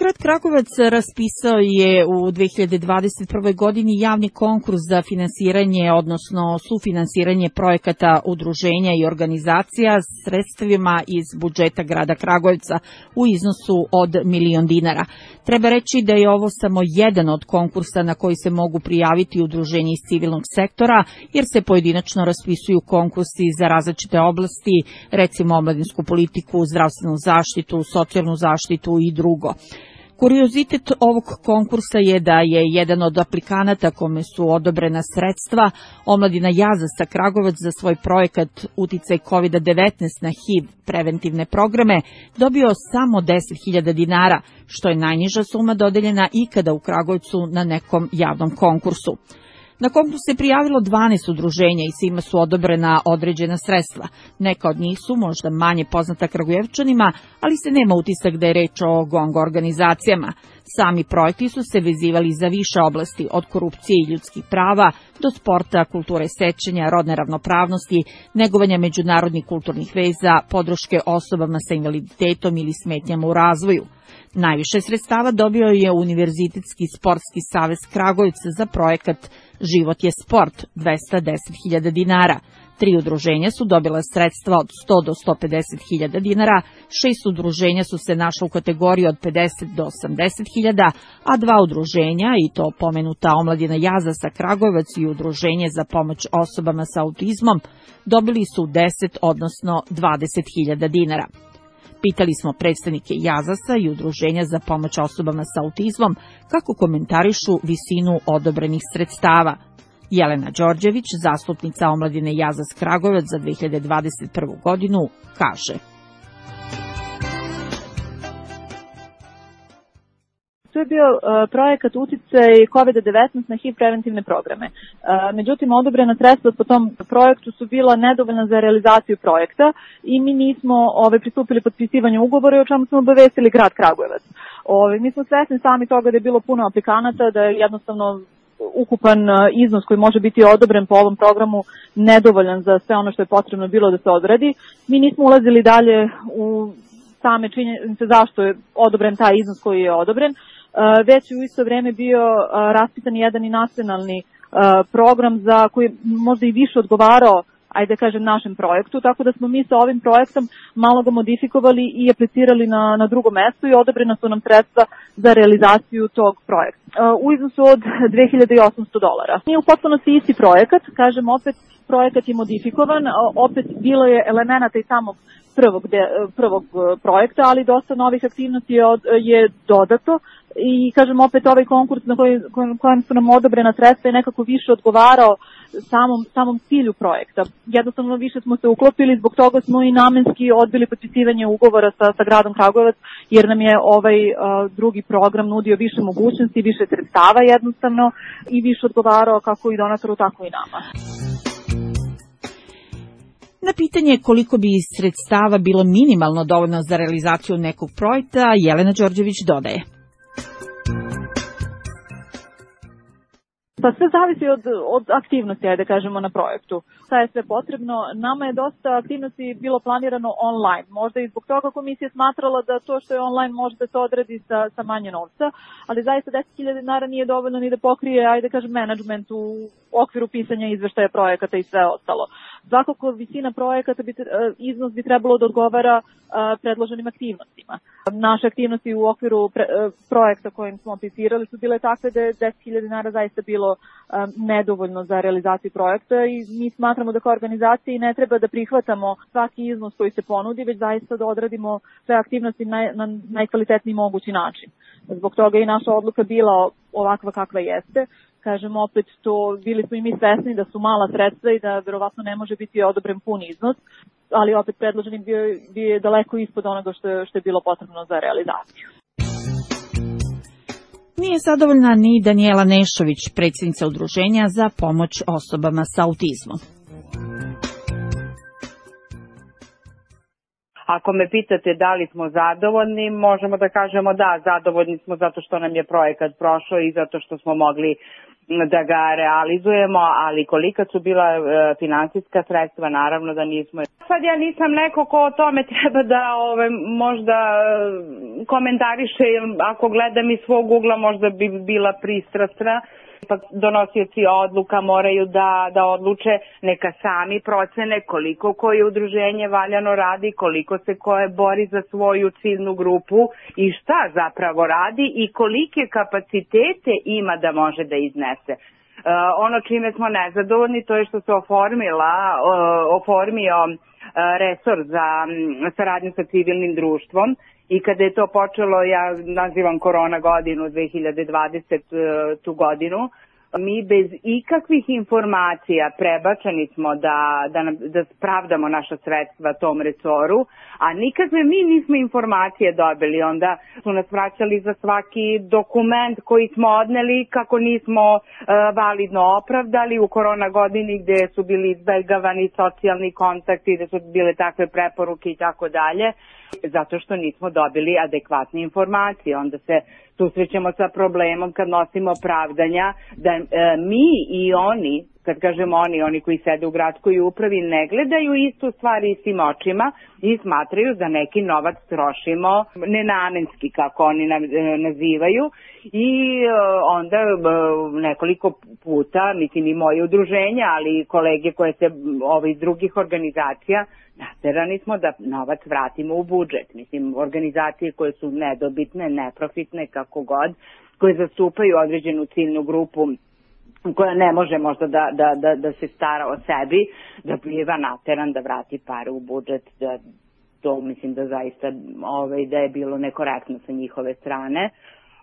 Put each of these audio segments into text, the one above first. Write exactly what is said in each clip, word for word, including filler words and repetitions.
Grad Kragujevac raspisao je u dve hiljade dvadeset prve. godini javni konkurs za finansiranje, odnosno sufinansiranje projekata udruženja i organizacija sredstvima iz budžeta grada Kragujevca u iznosu od milion dinara. Treba reći da je ovo samo jedan od konkursa na koji se mogu prijaviti udruženja iz civilnog sektora, jer se pojedinačno raspisuju konkursi za različite oblasti, recimo omladinsku politiku, zdravstvenu zaštitu, socijalnu zaštitu i drugo. Kuriozitet ovog konkursa je da je jedan od aplikanata kome su odobrena sredstva, Omladina Jazasa Kragujevac, za svoj projekat Uticaj kovid devetnaest na H I V preventivne programe dobio samo deset hiljada dinara, što je najniža suma dodeljena ikada u Kragujevcu na nekom javnom konkursu. Na konkurs se prijavilo dvanaest udruženja i svima su odobrena određena sredstva. Neka od njih su možda manje poznata Kragujevčanima, ali se nema utisak da je reč o gongo organizacijama. Sami projekti su se vezivali za više oblasti, od korupcije i ljudskih prava do sporta, kulture sećanja, rodne ravnopravnosti, negovanja međunarodnih kulturnih veza, podrške osobama sa invaliditetom ili smetnjama u razvoju. Najviše sredstava dobio je Univerzitetski sportski savez Kragujevca za projekat Život je sport, dvesta deset hiljada dinara. Tri udruženja su dobila sredstva od sto do sto pedeset hiljada dinara, šest udruženja su se našla u kategoriji od pedeset do osamdeset hiljada, a dva udruženja, i to pomenuta Omladina Jazasa Kragujevac i Udruženje za pomoć osobama sa autizmom, dobili su deset, odnosno dvadeset hiljada dinara. Pitali smo predstavnike Jazasa i Udruženja za pomoć osobama sa autizmom kako komentarišu visinu odobrenih sredstava. Jelena Đorđević, zastupnica Omladine Jazas Kragujevac za dve hiljade dvadeset prvu. godinu, kaže: To je bio uh, projekat Uticaj kovid devetnaest na H I V preventivne programe. Uh, međutim, odobrena sredstva po tom projektu su bila nedovoljna za realizaciju projekta i mi nismo ove, pristupili potpisivanju ugovora, o čemu smo obavestili grad Kragujevac. Ove, mi smo svesni sami toga da je bilo puno aplikanata, da je jednostavno ukupan iznos koji može biti odobren po ovom programu nedovoljan za sve ono što je potrebno bilo da se odradi. Mi nismo ulazili dalje u same činjenice zašto je odobren taj iznos koji je odobren, već u isto vreme bio raspisan jedan i nacionalni program za koji možda i više odgovarao, ajde kažem, našem projektu, tako da smo mi sa ovim projektom malo ga modifikovali i aplicirali na, na drugo mesto i odobrena su nam sredstva za realizaciju tog projekta u iznosu od dve hiljade osamsto dolara. Nije u potpunosti isti projekat, kažem opet, projekat je modifikovan, opet bilo je elemenata i samog prvog, de, prvog projekta, ali dosta novih aktivnosti je, od, je dodato i kažem opet ovaj konkurs na koj, kojem su nam odobrena sredstva je nekako više odgovarao samom, samom cilju projekta. Jednostavno više smo se uklopili, zbog toga smo i namenski odbili potpisivanje ugovora sa, sa gradom Kragujevac, jer nam je ovaj uh, drugi program nudio više mogućnosti, više sredstava jednostavno i više odgovarao kako i donatoru, tako i nama. Na pitanje koliko bi sredstava bilo minimalno dovoljno za realizaciju nekog projekta, Jelena Đorđević dodaje: Pa sve zavisi od, od aktivnosti, ajde kažemo, na projektu. Šta je sve potrebno? Nama je dosta aktivnosti bilo planirano online. Možda i zbog toga komisija smatrala da to što je online može da se odradi sa, sa manje novca, ali zaista deset hiljada dinara nije dovoljno ni da pokrije, ajde kažem, menadžment u okviru pisanja izveštaja projekata i sve ostalo. Svakako visina projekata, bi, iznos bi trebalo da odgovara predloženim aktivnostima. Naše aktivnosti u okviru pre, projekta kojim smo aplicirali su bile takve da je deset hiljada dinara zaista bilo nedovoljno za realizaciju projekta i mi smatramo da kao organizaciji ne treba da prihvatamo svaki iznos koji se ponudi, već zaista da odradimo sve aktivnosti na, na najkvalitetniji mogući način. Zbog toga je i naša odluka bila ovakva kakva jeste. Kažem opet, to bili smo i mi svesni da su mala sredstva i da verovatno ne može biti odobren pun iznos, ali opet predloženi bio, bio je daleko ispod onoga što je, što je bilo potrebno za realizaciju. Nije zadovoljna ni Danijela Nešović, predsjednica Udruženja za pomoć osobama sa autizmom. Ako me pitate da li smo zadovoljni, možemo da kažemo da, zadovoljni smo zato što nam je projekat prošao i zato što smo mogli da ga realizujemo, ali kolika su bila e, finansijska sredstva, naravno da nismo. Sad ja nisam neko ko o tome treba da ove, možda komentariše, ako gledam iz svog ugla možda bi bila pristrasna, ipak donosioci odluka moraju da, da odluče, neka sami procene koliko koje udruženje valjano radi, koliko se koje bori za svoju ciljnu grupu i šta zapravo radi i kolike kapacitete ima da može da iznese. Uh, ono čime smo nezadovoljni to je što se oformila, uh, oformio uh, resor za um, saradnju sa civilnim društvom i kada je to počelo, ja nazivam korona godinu dve hiljade dvadesete godinu, mi bez ikakvih informacija prebačeni smo da, da, da spravdamo naša sredstva tom resoru, a nikakve mi nismo informacije dobili. Onda su nas vraćali za svaki dokument koji smo odneli kako nismo uh, validno opravdali u korona godini gde su bili izbegavani socijalni kontakti, gde su bile takve preporuke i tako dalje, zato što nismo dobili adekvatne informacije. Onda se susrećemo sa problemom kad nosimo pravdanja da e, mi i oni, kad kažemo oni, oni koji sede u gradskoj upravi, ne gledaju istu stvar istim očima i smatraju da neki novac trošimo nenamenski, kako oni nazivaju, i e, onda e, nekoliko puta, mislim i moje udruženja, ali i kolege koje se ove iz drugih organizacija, naterani smo da novac vratimo u budžet. Mislim, organizacije koje su nedobitne, neprofitne, kako god, koje zastupaju određenu ciljnu grupu koja ne može možda da, da, da, da se stara o sebi, da biva nateran da vrati pare u budžet, da to mislim da zaista ovaj, da je bilo nekorektno sa njihove strane.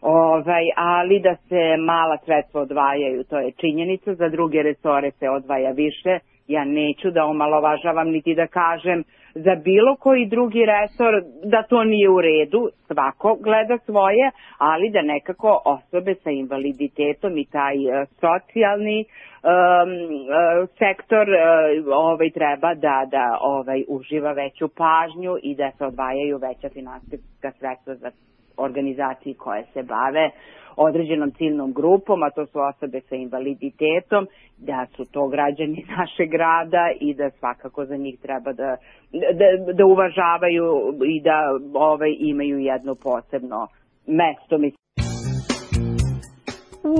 Ovaj, ali da se mala sredstva odvajaju, to je činjenica, za druge resore se odvaja više. Ja neću da omalovažavam niti da kažem za bilo koji drugi resor da to nije u redu, svako gleda svoje, ali da nekako osobe sa invaliditetom i taj uh, socijalni um, uh, sektor uh, ovaj, treba da, da ovaj, uživa veću pažnju i da se odvajaju veća finansijska sredstva za organizacije koje se bave određenom ciljnom grupom, a to su osobe sa invaliditetom, da su to građani našeg grada i da svakako za njih treba da, da, da uvažavaju i da ovaj, imaju jedno posebno mesto.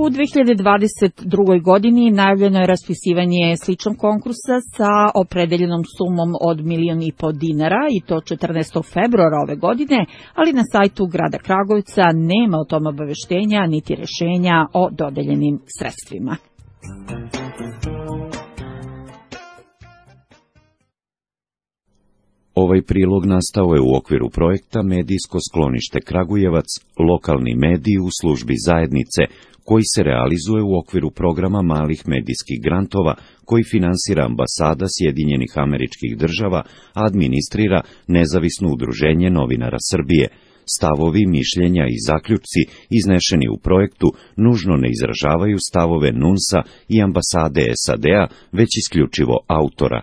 U dve hiljade dvadeset drugoj godini najavljeno je raspisivanje sličnog konkursa sa opredeljenom sumom od milion i po dinara i to četrnaestog februara ove godine, ali na sajtu grada Kragujevca nema o tom obaveštenja niti rešenja o dodeljenim sredstvima. Ovaj prilog nastao je u okviru projekta Medijsko sklonište Kragujevac, lokalni mediji u službi zajednice, koji se realizuje u okviru programa malih medijskih grantova, koji finansira ambasada Sjedinjenih Američkih Država, a administrira Nezavisno udruženje novinara Srbije. Stavovi, mišljenja i zaključci iznešeni u projektu nužno ne izražavaju stavove NUNS-a i ambasade S A D-a, već isključivo autora.